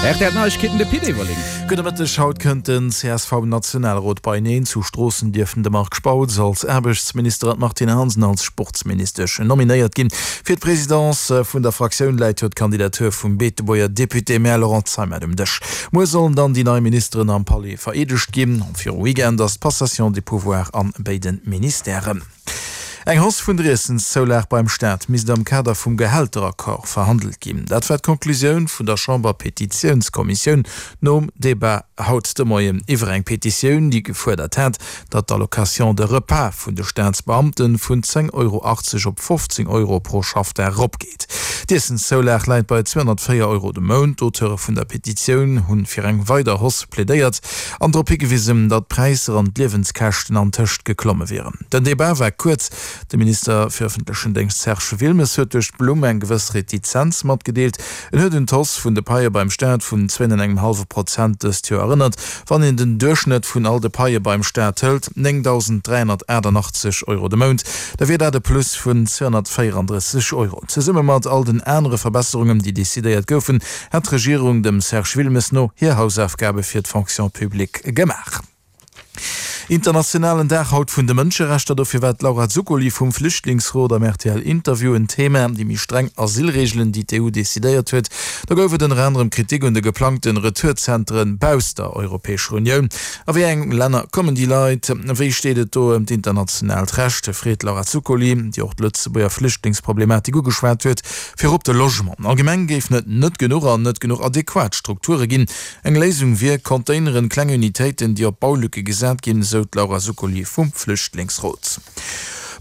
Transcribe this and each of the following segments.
Rtl Neiegkeeten, de Pit Everling. Gudde Mëtteg, Haut kënnt den CSV-Nationalrot beieneen. Zu Stroossen dierften de Marc Spautz als Aarbechtsminister an d'Martine Hansen als Sportsministesch nominéiert ginn. Fir d'Presidence vun der Fraktioun läit jo d'Kandidatur vum Beetebuerger Député-Maire Laurent Zeimet um Dësch. Muer sollen dann déi nei Ministeren am Palais vereedegt ginn. Virum Weekend ass d'Passation des pouvoirs an béide Ministèren. Eng Hausse vun der Iessenszoulag beim Staat misst am Kader vum Gehälteraccord verhandelt ginn. Dat war d'Konklusioun vun der Chamber-Petitiounskommissioun nom Debat haut de Moien iwwer eng Petitioun, déi gefuerdert hat, datt d'Allocation de repas vun de Staatsbeamte vun 10,80 Euro op 15 Euro pro Schaffdag eropgeet. D'Iessenszoulag läit bei 204 Euro de Mount. D'Auteure vun der Petitioun hunn fir eng weider Hausse plädéiert an drop higewisen, datt d'Präisser an d'Liewenskäschten antëscht geklomme wieren. Den Debat war kuerz. De Minister fir ëffentlechen Déngscht Serge Wilmes huet duerch d'Blumm eng gewëss Retizenz matgedeelt. En huet un d'Hausse vun de Paie beim Staat vun zwéin an engem hallwe Prozent dëst Joer erënnert. Wann een den Duerchschnëtt vun all de Paie beim Staat hëlt, 9.388 Euro de Mount, da wier dat e Plus vun 234 Euro. Zesumme mat all den anere Verbesserungen, déi decidéiert goufen, hätt d'Regierung dem Serge Wilmes no hir Hausaufgabe fir d'Fonction publique gemaach. Internationalen Dag haut vun de Mënscherechter, dofir war d'Laura Zuccoli vum Flüchtlingsrot am rtl Interview en Thema. Déi méi streng Asylreegelen, déi d'EU decidéiert huet, do gouf et ënner anerem Kritik un de geplangte Retourzentren bausst der Europäescher Unioun. A wéi eng Länner kommen déi Leit? Wéi steet et do ëm d'internationaalt Recht? freet d'Laura Zuccoli, déi och d'Lëtzebuerger Flüchtlingsproblematik ugeschwat huet. Virop de Logement. Allgemeng géifen et net genuch an net genuch adequat Strukture ginn. Eng Léisung wier Containeren, kleng Unitéiten, déi op Baulücke gesat ginn, esou d'Laura Zuccoli vum Flüchtlingsrot.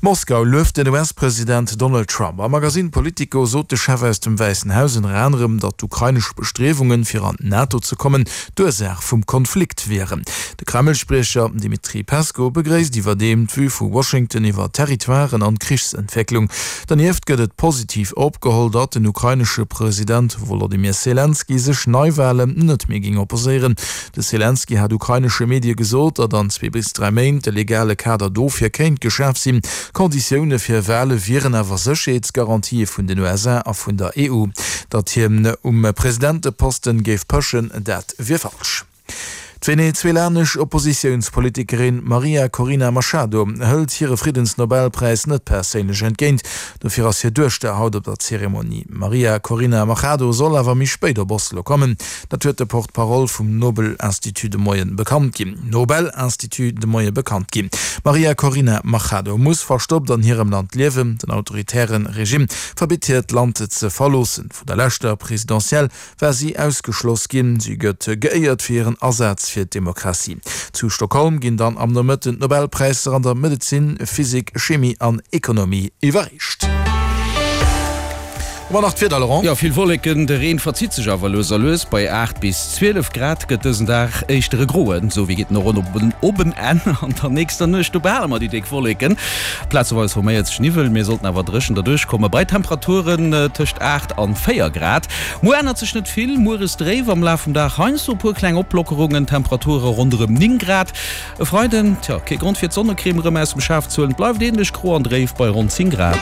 Moskau lueft den US-President Donald Trump. Am Magasinn Politico sot de Chef aus dem Wäissen Haus ënner anerem, datt d'ukrainesch Bestriewungen, fir an d'NATO ze kommen, d'Ursaach vum Konflikt wieren. De Kreml-Spriecher Dmitri Peskow begréisst iwwerdeem d'Vue vu Washington iwwer d'Territoiren an d'Krichsentwécklung. Dernieft gëtt et positiv opgeholl, datt den ukrainesche President Wolodymyr Selenskyj sech Neiwalen net méi géing opposéieren. De Selenskyj hat ukrainesche Medie gesot, datt an zwee bis 3 Méint de legale Kader dofir kéint geschaf sinn. Konditioune fir Wale wieren awer Sécherheetsgarantië vun den USA a vun der EU. Datt hien um Presidenteposten géif pëschen, dat wier falsch. D'venezuelanesch Oppositiounspolitikerin Maria Corina Machado hëlt hire Friddensnobelpräis net perséinlech entgéint. Dofir ass hir Duechter haut op der Zeremonie. D'Maria Corina Machado soll awer méi spéit op Oslo kommen. Dat huet de Porte-parole vum Nobel-Institut de Moien bekannt ginn. Nobel-Institut de Moie bekannt ginn. D'Maria Corina Machado muss verstoppt an hirem Land liewen. Den autoritäre Regime verbitt hir, d'Land ze verloossen. Vun der leschter Presidentielle war si ausgeschloss ginn. Si gëtt geéiert fir hiren Asaz fir d'Demokratie. Zu Stockholm ginn dann am Nomëtten d'Nobelpräisser an der Medezin, Physik, Chemie an Ekonomie iwwerreecht. Hu mer nach d'Wieder, Laurent? Jo, vill Wolleken, de Reen verzitt sech awer lues a lues. Bei 8 bis 12 Grad gëtt dësen Dag éischter e groen, sou wéi geet en och op en Enn. An der nächster Nuecht, do behale mer déi déck Wolleken. Plazeweis forméiert sech Niwwel, mir sollten awer dréchen derduerch komme bei Temperaturen tëscht 8 an 4 Grad. Muer ännert sech net vill, mueres dréif, am Laf vum Dag heiansdo e puer kleng Oplockerungen, Temperature ronderëm 9 Grad. E Freiden, tjo, kee Grond fir d'Sonnecrème erëm aus dem Schaf ze huelen, et bleift änlech gro an dréif bei ronn 10 Grad.